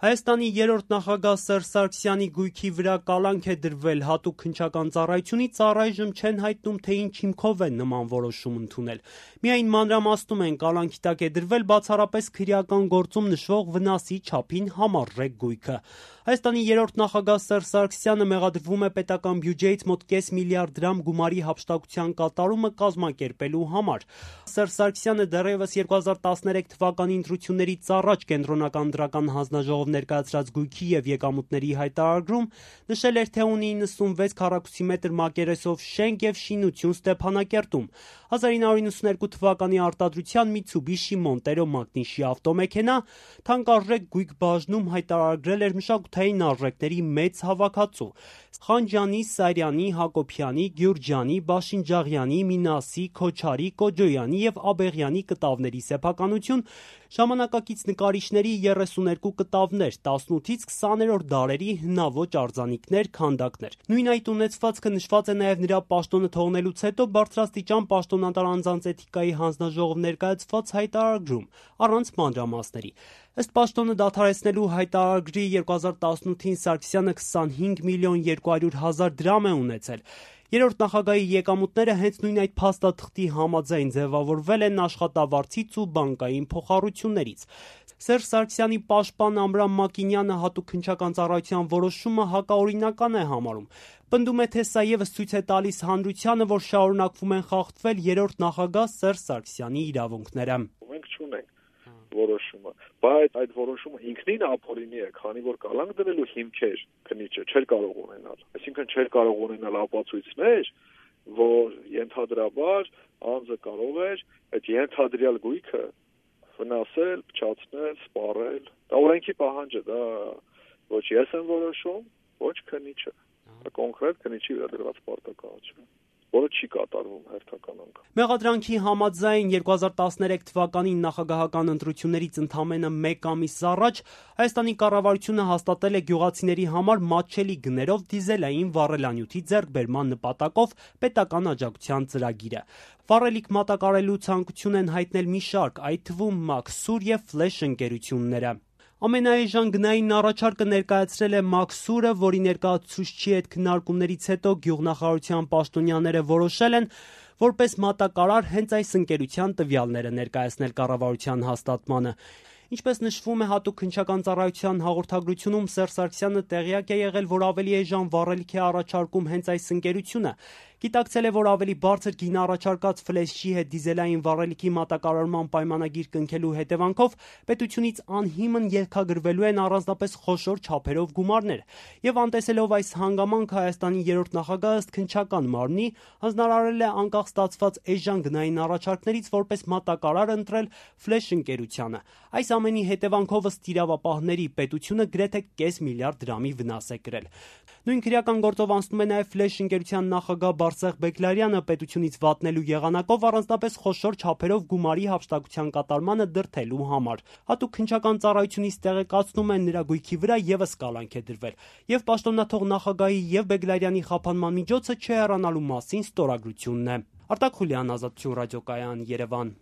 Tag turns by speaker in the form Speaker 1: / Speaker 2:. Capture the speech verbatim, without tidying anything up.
Speaker 1: Հայաստանի երրորդ նախագահ Սերժ Սարգսյանի գույքի վրա կալանք է դրվել հատուկ քննչական ծառայությունից, առայժմ չեն հայտնում, թե ինչ հիմքով են նման որոշում ընդունել։ Միայն մանրամասնում են, կալանքի տակ է դրվել բացառապես քրեական գործում նշվող վնասի չափին համառժեք գույքը։ Հայաստանի երրորդ նախագահ Սերժ Սարգսյանը մեղադրվում է պետական բյուջեից մոտ կես միլիարդ դրամ գումարի հափշտակության կատարումը կազմակերպելու համար։ Սերժ Սարգսյանը դեռևս երկու հազար տասներեք թվականի ընտրություններից առաջ կենտրոնական դրական հանձնաժողով ներկայացրած գույքի եւ եկամուտների հայտարարում նշել էր, թե ունի իննսունվեց քառակուսի մետր մակերեսով շենք եւ շինություն Ստեփանակերտում։ հազար ինը հարյուր նվաթ թվականի արտադրության Mitsubishi Montero մակնիշի ավտոմեքենա թանկարժեք գույք բաժնում հայտարարել էր մշակութային արժեքների մեծ հավաքածու։ Խանջյանի, Սարյանի, Հակոբյանի, Գյուրջյանի, Բաշինջաղյանի, Մինասի, Քոչարի, Կոջոյանի եւ Աբեղյանի կտավների սեփականություն, ժամանակակից նկարիչների երեսուներկու կտավներ, տասնութից քսաներորդ դարերի հնաոճ արձանիկներ, քանդակներ։ Նույն այդ ունեցվածքը նշված է նաև նրա պաշտոնը թողնելուց հետո բարձրաստիճան պաշտոնատար անձանց էթիկայի հանձնաժողով ներկայացված հայտարարում, առանց մանրամասների։ Ըստ պաշտոնը դադարեցնելու հայտարարագրի երկու հազար տասնութին Սարգսյանը քսանհինգ միլիոն երկու հարյուր հազար դրամ է ունեցել։ Երրորդ նախագահի եկամուտները հենց նույն այդ փաստաթղթի համաձայն ձևավորվել են աշխատավարձից ու բանկային փոխառություններից։ Սերժ Սարգսյանի պաշտպան Ամրամ Մակինյանը հատուկ քննչական ծառայության որոշումը հակաօրինական է համարում։ Պնդում է, թե սա ևս ցույց է տալիս հանրությանը, որ շարունակվում են խախտվել երրորդ նախագահ Սերժ Սարգսյանի իրավունքները։
Speaker 2: Մենք չունենք որոշումը, բայց այդ որոշումը ինքնին ապօրինի է, քանի որ կալանք դնելու հիմքեր քննիչը չէր կարող ունենալ։ Այսինքն չէր կարող ունենալ ապացույցներ, որ ենթադրաբար անձը կարող էր այդ ենթադրյալ գույքը վնասել, փչացնել, սպառել։ Դա օրենքի պահանջ է, դա ոչ ես եմ որոշում, ոչ քննիչը։ Դա կոնկրետ քննիչի վրա դրված պարտականություն, որը չի կատարվում հերթական անգամ։
Speaker 1: Մեղադրանքի համաձայն երկու հազար տասներեք թվականի նախագահական ընտրություններից ընդամենը մեկ ամիս առաջ Հայաստանի կառավարությունը հաստատել է գյուղացիների համար մատչելի գներով դիզելային վառելանյութի ձեռքբերման նպատակով պետական աջակցության ծրագիրը։ Վառելիք մատակարարելու ցանկություն են հայտնել մի շարք, այդ թվում Մաքսուր եւ Ֆլեշ ընկերությունները։ Ամենաէժան գնային առաջարկը ներկայացրել է Մաքսուրը, որի ներկայացուցչի հետ քննարկումներից հետո գյուղնախարարության պաշտոնյաները որոշել են որպես մատակարար հենց այս ընկերության տվյալները ներկայացնել կառավարության հաստատմանը։ Ինչպես նշվում է հատուկ քննչական ծառայության հաղորդագրությունում, Սերժ Սարգսյանը տեղյակ է եղել, որ ավելի էժան վառելիք է առաջարկում հենց այս ընկերությունը։ Գիտակցել է, որ ավելի բարձր գին առաջարկած Ֆլեշի հետ դիզելային վառելիքի մատակարարման պայմանագիր կնքելու հետևանքով պետությունից անհիմն ելքագրվելու են առանձնապես խոշոր չափերով գումարներ։ Եվ անտեսելով այս հանգամանքը Հայաստանի երրորդ նախագահը ըստ քննչական մարմնի հանձնարարել է անկախ ստացված էժան գնային առաջարկներից որպես մատակարար ընտրել Ֆլեշ ընկերությանը։ Այս ամենի հետևանքով ըստ իրավապահների պետությունը գրեթե կես միլիարդ դրամի վնաս է կրել։ Նույն քրեական գործով անցնում է նաև Ֆլեշ ընկերության նախագահ Բարսեղ Բեգլարյանը պետությունից վատնելու եղանակով առանձնապես խոշոր չափերով գումարի հափշտակության կատարմանը դրդելու համար։ Հատուկ քննչական ծառայությունից տեղեկացնում են նրա գույքի վրա ևս կալանք է դրվել, եւ պաշտոնաթող նախագահի եւ Բեգլարյանի խափանման միջոցը չհեռանալու մասին ստորագրությունն է։ Արտակ Խուլյան, Ազատություն ռադիոկայան, Երևան։